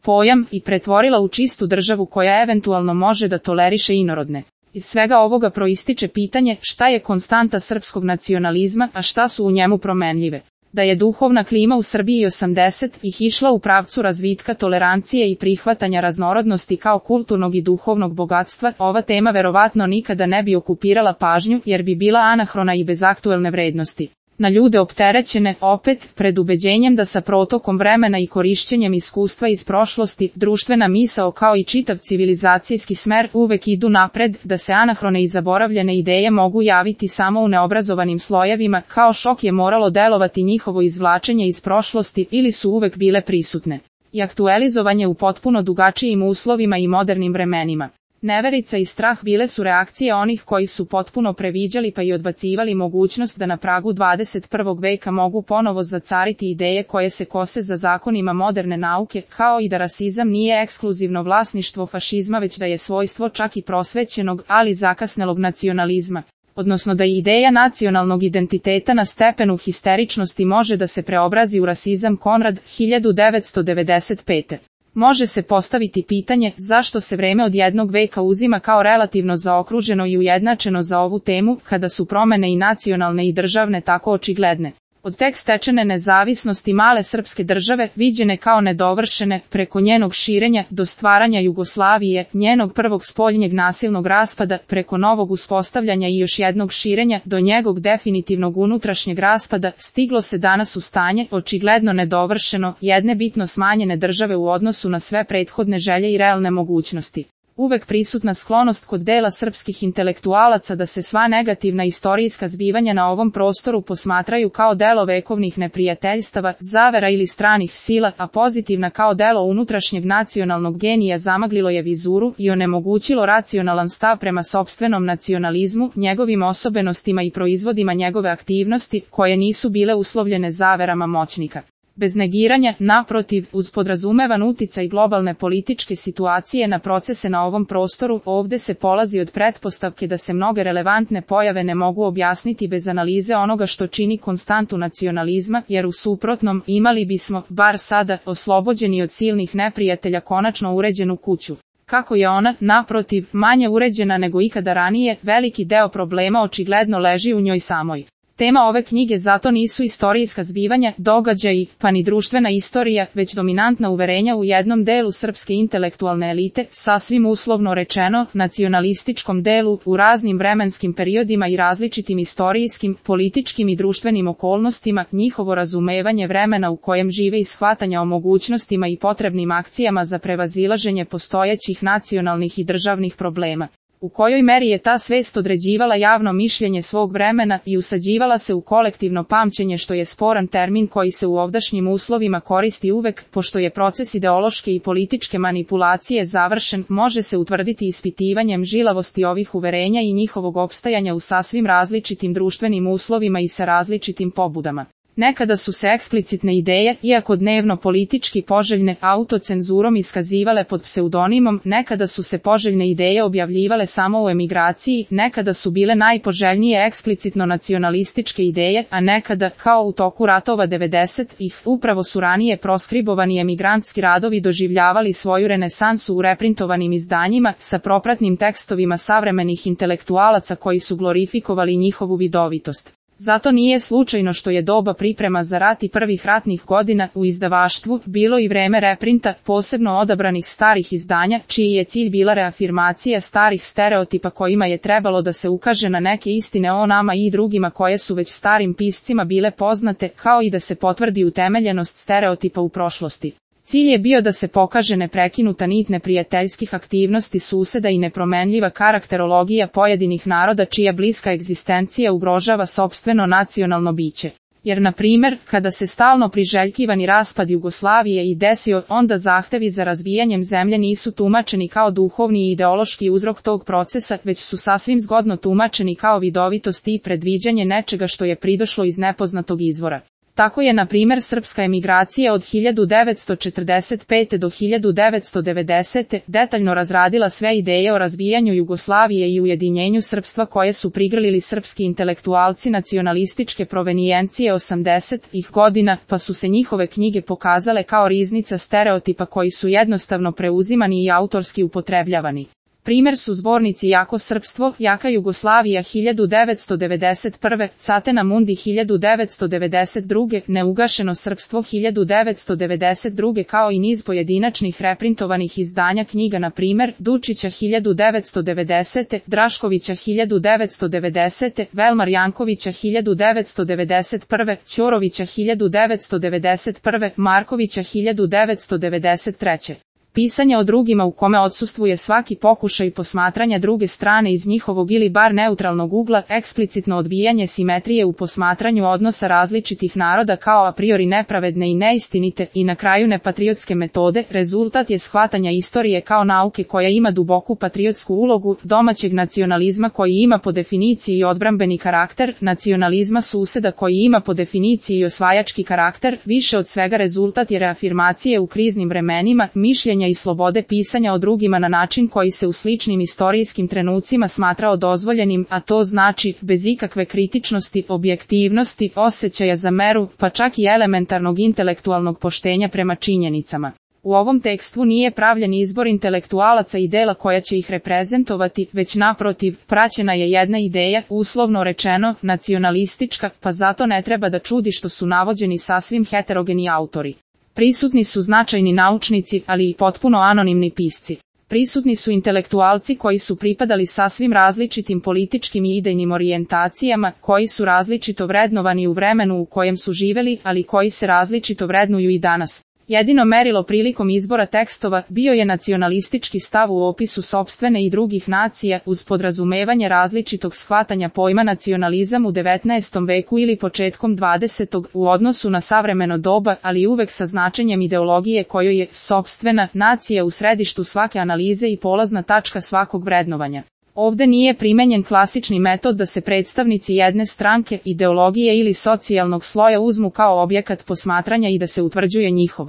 pojam i pretvorila u čistu državu koja eventualno može da toleriše inorodne. Iz svega ovoga proističe pitanje šta je konstanta srpskog nacionalizma, a šta su u njemu promenljive. Da je duhovna klima u Srbiji 80-ih išla u pravcu razvitka tolerancije i prihvatanja raznorodnosti kao kulturnog i duhovnog bogatstva, ova tema verovatno nikada ne bi okupirala pažnju jer bi bila anahrona i bez aktuelne vrednosti. Na ljude opterećene, opet, pred ubeđenjem da sa protokom vremena i korišćenjem iskustva iz prošlosti, društvena misao kao i čitav civilizacijski smer uvek idu napred, da se anahrone i zaboravljene ideje mogu javiti samo u neobrazovanim slojevima, kao šok je moralo delovati njihovo izvlačenje iz prošlosti ili su uvek bile prisutne. I aktualizovanje u potpuno drugačijim uslovima i modernim vremenima. Neverica i strah bile su reakcije onih koji su potpuno previđali pa i odbacivali mogućnost da na pragu 21. veka mogu ponovo zacariti ideje koje se kose za zakonima moderne nauke, kao i da rasizam nije ekskluzivno vlasništvo fašizma već da je svojstvo čak i prosvećenog, ali zakasnelog nacionalizma. Odnosno da i ideja nacionalnog identiteta na stepenu histeričnosti može da se preobrazi u rasizam. Konrad, 1995. Može se postaviti pitanje zašto se vreme od jednog veka uzima kao relativno zaokruženo i ujednačeno za ovu temu, kada su promene i nacionalne i državne tako očigledne. Od tek stečene nezavisnosti male srpske države, viđene kao nedovršene, preko njenog širenja, do stvaranja Jugoslavije, njenog prvog spoljnjeg nasilnog raspada, preko novog uspostavljanja i još jednog širenja, do njegovog definitivnog unutrašnjeg raspada, stiglo se danas u stanje, očigledno nedovršeno, jedne bitno smanjene države u odnosu na sve prethodne želje i realne mogućnosti. Uvek prisutna sklonost kod dela srpskih intelektualaca da se sva negativna istorijska zbivanja na ovom prostoru posmatraju kao delo vekovnih neprijateljstava, zavera ili stranih sila, a pozitivna kao delo unutrašnjeg nacionalnog genija zamaglilo je vizuru i onemogućilo racionalan stav prema sopstvenom nacionalizmu, njegovim osobenostima i proizvodima njegove aktivnosti, koje nisu bile uslovljene zaverama moćnika. Bez negiranja, naprotiv, uz podrazumevan uticaj globalne političke situacije na procese na ovom prostoru, ovde se polazi od pretpostavke da se mnoge relevantne pojave ne mogu objasniti bez analize onoga što čini konstantu nacionalizma, jer u suprotnom, imali bismo, bar sada, oslobođeni od silnih neprijatelja konačno uređenu kuću. Kako je ona, naprotiv, manje uređena nego ikada ranije, veliki deo problema očigledno leži u njoj samoj. Tema ove knjige zato nisu istorijska zbivanja, događaji, pa ni društvena istorija, već dominantna uverenja u jednom delu srpske intelektualne elite, sasvim uslovno rečeno, nacionalističkom delu, u raznim vremenskim periodima i različitim istorijskim, političkim i društvenim okolnostima, njihovo razumevanje vremena u kojem žive i shvatanja o mogućnostima i potrebnim akcijama za prevazilaženje postojećih nacionalnih i državnih problema. U kojoj meri je ta svest određivala javno mišljenje svog vremena i usađivala se u kolektivno pamćenje, što je sporan termin koji se u ovdašnjim uslovima koristi uvek, pošto je proces ideološke i političke manipulacije završen, može se utvrditi ispitivanjem žilavosti ovih uverenja i njihovog opstajanja u sasvim različitim društvenim uslovima i sa različitim pobudama. Nekada su se eksplicitne ideje, iako dnevno politički poželjne, autocenzurom iskazivale pod pseudonimom, nekada su se poželjne ideje objavljivale samo u emigraciji, nekada su bile najpoželjnije eksplicitno nacionalističke ideje, a nekada, kao u toku ratova 90-ih, upravo su ranije proskribovani emigrantski radovi doživljavali svoju renesansu u reprintovanim izdanjima, sa propratnim tekstovima savremenih intelektualaca koji su glorifikovali njihovu vidovitost. Zato nije slučajno što je doba priprema za rat i prvih ratnih godina u izdavaštvu bilo i vreme reprinta, posebno odabranih starih izdanja, čiji je cilj bila reafirmacija starih stereotipa kojima je trebalo da se ukaže na neke istine o nama i drugima koje su već starim piscima bile poznate, kao i da se potvrdi utemeljenost stereotipa u prošlosti. Cilj je bio da se pokaže neprekinuta nit neprijateljskih aktivnosti suseda i nepromenljiva karakterologija pojedinih naroda čija bliska egzistencija ugrožava sopstveno nacionalno biće. Jer, na primjer, kada se stalno priželjkivani raspad Jugoslavije i desio, onda zahtevi za razvijanjem zemlje nisu tumačeni kao duhovni i ideološki uzrok tog procesa, već su sasvim zgodno tumačeni kao vidovitost i predviđanje nečega što je pridošlo iz nepoznatog izvora. Tako je, na primjer, srpska emigracija od 1945. do 1990. detaljno razradila sve ideje o razbijanju Jugoslavije i ujedinjenju srpstva koje su prigrlili srpski intelektualci nacionalističke provenijencije 80-ih godina, pa su se njihove knjige pokazale kao riznica stereotipa koji su jednostavno preuzimani i autorski upotrebljavani. Primjer su zbornici Jako srpstvo, Jaka Jugoslavija 1991. Catena Mundi 1992. Neugašeno srpstvo 1992. kao i niz pojedinačnih reprintovanih izdanja knjiga, na primjer Dučića 1990. Draškovića 1990. Velmar Jankovića 1991. Ćorovića 1991. Markovića 1993. Pisanje o drugima u kome odsustvuje svaki pokušaj posmatranja druge strane iz njihovog ili bar neutralnog ugla, eksplicitno odbijanje simetrije u posmatranju odnosa različitih naroda kao a priori nepravedne i neistinite i na kraju nepatriotske metode, rezultat je shvatanja istorije kao nauke koja ima duboku patriotsku ulogu, domaćeg nacionalizma koji ima po definiciji odbrambeni karakter, nacionalizma suseda koji ima po definiciji osvajački karakter, više od svega rezultat je reafirmacije u kriznim vremenima, mišljenja i slobode pisanja o drugima na način koji se u sličnim istorijskim trenucima smatrao dozvoljenim, a to znači bez ikakve kritičnosti, objektivnosti, osjećaja za meru, pa čak i elementarnog intelektualnog poštenja prema činjenicama. U ovom tekstu nije pravljen izbor intelektualaca i dela koja će ih reprezentovati, već naprotiv, praćena je jedna ideja, uslovno rečeno, nacionalistička, pa zato ne treba da čudi što su navođeni sasvim heterogeni autori. Prisutni su značajni naučnici, ali i potpuno anonimni pisci. Prisutni su intelektualci koji su pripadali sasvim različitim političkim i idejnim orijentacijama, koji su različito vrednovani u vremenu u kojem su živeli, ali koji se različito vrednuju i danas. Jedino merilo prilikom izbora tekstova bio je nacionalistički stav u opisu sopstvene i drugih nacija, uz podrazumevanje različitog shvatanja pojma nacionalizam u 19. veku ili početkom 20. u odnosu na savremeno doba, ali uvek sa značenjem ideologije kojoj je sopstvena nacija u središtu svake analize i polazna tačka svakog vrednovanja. Ovde nije primenjen klasični metod da se predstavnici jedne stranke, ideologije ili socijalnog sloja uzmu kao objekat posmatranja i da se utvrđuje njihov